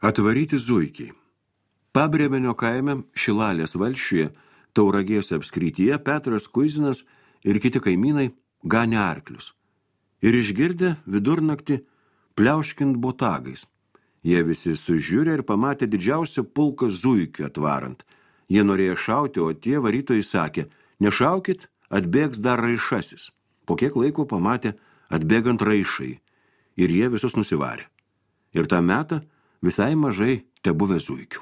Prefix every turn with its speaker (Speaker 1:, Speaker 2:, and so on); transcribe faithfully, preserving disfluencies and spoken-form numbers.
Speaker 1: Atvaryti zuikiai. Pabrėmenio kaime Šilalės valsčiuje, Tauragės apskrityje Petras Kuizinas ir kiti kaimynai ganė arklius. Ir išgirdę vidurnaktį pliauškint botagais. Jie visi sužiūrė ir pamatė didžiausią pulką zuikių atvarant. Jie norėjo šauti, o tie varytojai sakė, nešaukit, atbėgs dar raišasis. Po kiek laiko pamatė atbėgant raišai ir jie visus nusivarė. Ir tą metą visai mažai tebuvę zuikių.